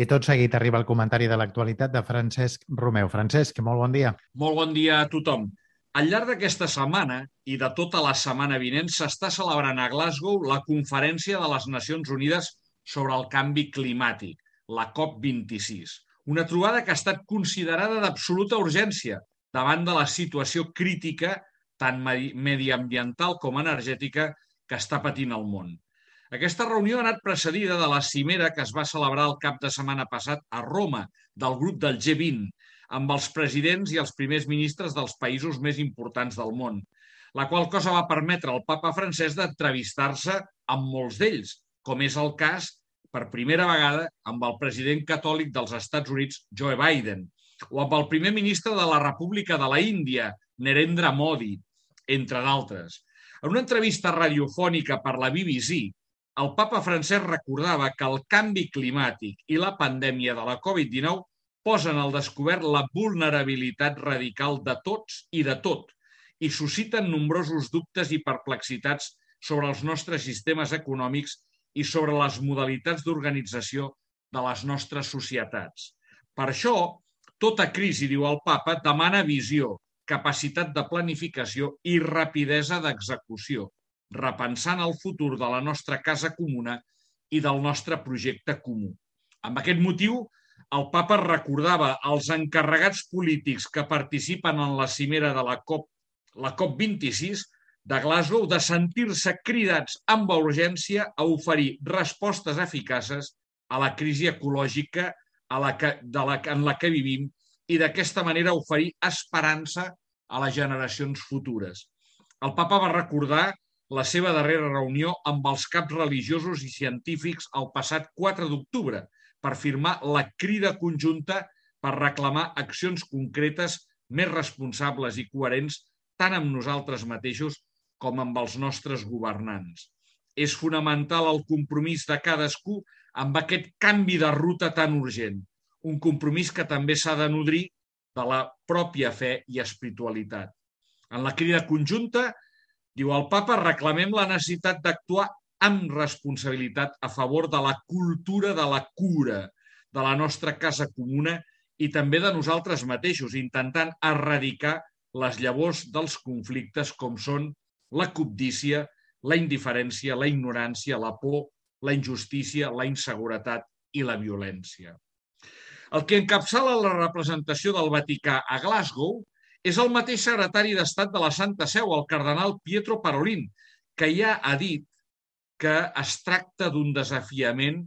I tot seguit arriba el comentari de l'actualitat de Francesc Romeu. Francesc, molt bon dia. Molt bon dia a tothom. Al llarg d'aquesta setmana i de tota la setmana vinent s'està celebrant a Glasgow la Conferència de les Nacions Unides sobre el Canvi Climàtic, la COP26. Una trobada que ha estat considerada d'absoluta urgència davant de la situació crítica, tant mediambiental com energètica, que està patint el món. Aquesta reunió ha anat precedida de la cimera que es va celebrar el cap de setmana passat a Roma, del grup del G20, amb els presidents i els primers ministres dels països més importants del món, la qual cosa va permetre al papa francès d'entrevistar-se amb molts d'ells, com és el cas, per primera vegada, amb el president catòlic dels Estats Units, Joe Biden, o amb el primer ministre de la República de la Índia, Narendra Modi, entre d'altres. En una entrevista radiofònica per la BBC, el papa francès recordava que el canvi climàtic i la pandèmia de la Covid-19 posen al descobert la vulnerabilitat radical de tots i de tot i susciten nombrosos dubtes i perplexitats sobre els nostres sistemes econòmics i sobre les modalitats d'organització de les nostres societats. Per això, tota crisi, diu el papa, demana visió, capacitat de planificació i rapidesa d'execució, repensant el futur de la nostra casa comuna i del nostre projecte comú. Amb aquest motiu, el papa recordava als encarregats polítics que participen en la cimera de la COP26 de Glasgow de sentir-se cridats amb urgència a oferir respostes eficaces a la crisi ecològica en la que vivim i d'aquesta manera oferir esperança a les generacions futures. El papa va recordar la seva darrera reunió amb els caps religiosos i científics el passat 4 d'octubre per firmar la crida conjunta per reclamar accions concretes més responsables i coherents tant amb nosaltres mateixos com amb els nostres governants. És fonamental el compromís de cadascú amb aquest canvi de ruta tan urgent, un compromís que també s'ha de nodrir de la pròpia fe i espiritualitat. En la crida conjunta, diu el papa, reclamem la necessitat d'actuar amb responsabilitat a favor de la cultura de la cura de la nostra casa comuna i també de nosaltres mateixos, intentant erradicar les llavors dels conflictes com són la cobdícia, la indiferència, la ignorància, la por, la injustícia, la inseguretat i la violència. El que encapçala la representació del Vaticà a Glasgow és el mateix secretari d'Estat de la Santa Seu, el cardenal Pietro Parolin, que ja ha dit que es tracta d'un desafiament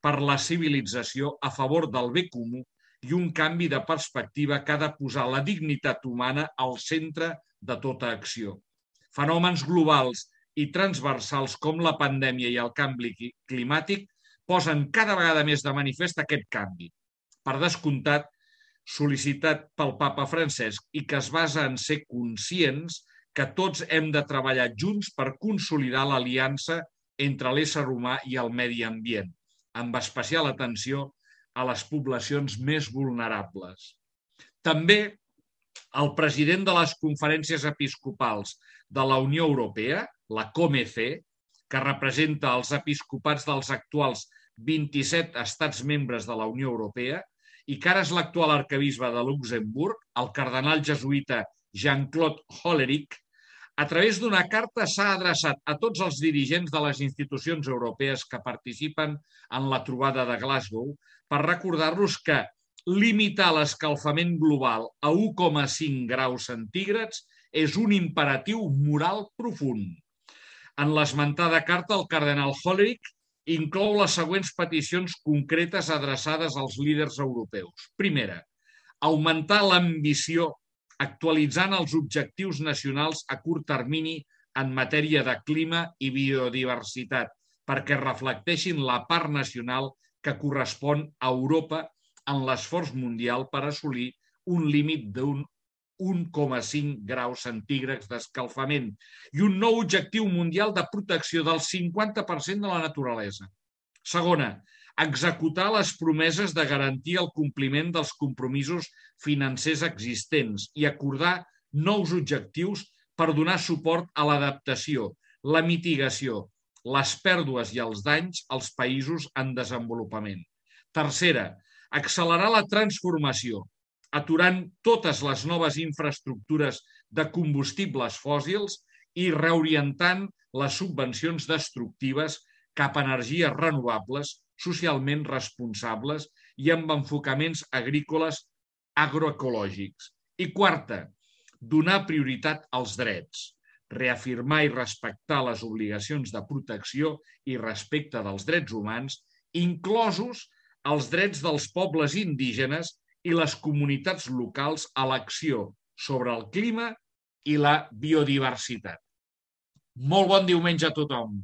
per la civilització a favor del bé comú i un canvi de perspectiva que ha de posar la dignitat humana al centre de tota acció. Fenòmens globals i transversals com la pandèmia i el canvi climàtic posen cada vegada més de manifest aquest canvi. Per descomptat, sol·licitat pel papa Francesc i que es basa en ser conscients que tots hem de treballar junts per consolidar l'aliança entre l'ésser humà i el medi ambient, amb especial atenció a les poblacions més vulnerables. També el president de les conferències episcopals de la Unió Europea, la COMECE, que representa els episcopats dels actuals 27 estats membres de la Unió Europea, i que ara és l'actual arquebisbe de Luxemburg, el cardenal jesuïta Jean-Claude Hollerich, a través d'una carta s'ha adreçat a tots els dirigents de les institucions europees que participen en la trobada de Glasgow per recordar-los que limitar l'escalfament global a 1,5 graus centígrads és un imperatiu moral profund. En l'esmentada carta, el cardenal Hollerich inclou les següents peticions concretes adreçades als líders europeus. Primera, augmentar l'ambició actualitzant els objectius nacionals a curt termini en matèria de clima i biodiversitat perquè reflecteixin la part nacional que correspon a Europa en l'esforç mundial per assolir un límit d'un 1,5 graus centígrads d'escalfament i un nou objectiu mundial de protecció del 50% de la naturalesa. Segona, executar les promeses de garantir el compliment dels compromisos financers existents i acordar nous objectius per donar suport a l'adaptació, la mitigació, les pèrdues i els danys als països en desenvolupament. Tercera, accelerar la transformació, aturant totes les noves infraestructures de combustibles fòssils i reorientant les subvencions destructives cap a energies renovables, socialment responsables i amb enfocaments agrícoles agroecològics. I quarta, donar prioritat als drets, reafirmar i respectar les obligacions de protecció i respecte dels drets humans, inclosos els drets dels pobles indígenes i les comunitats locals a l'acció sobre el clima i la biodiversitat. Molt bon diumenge a tothom!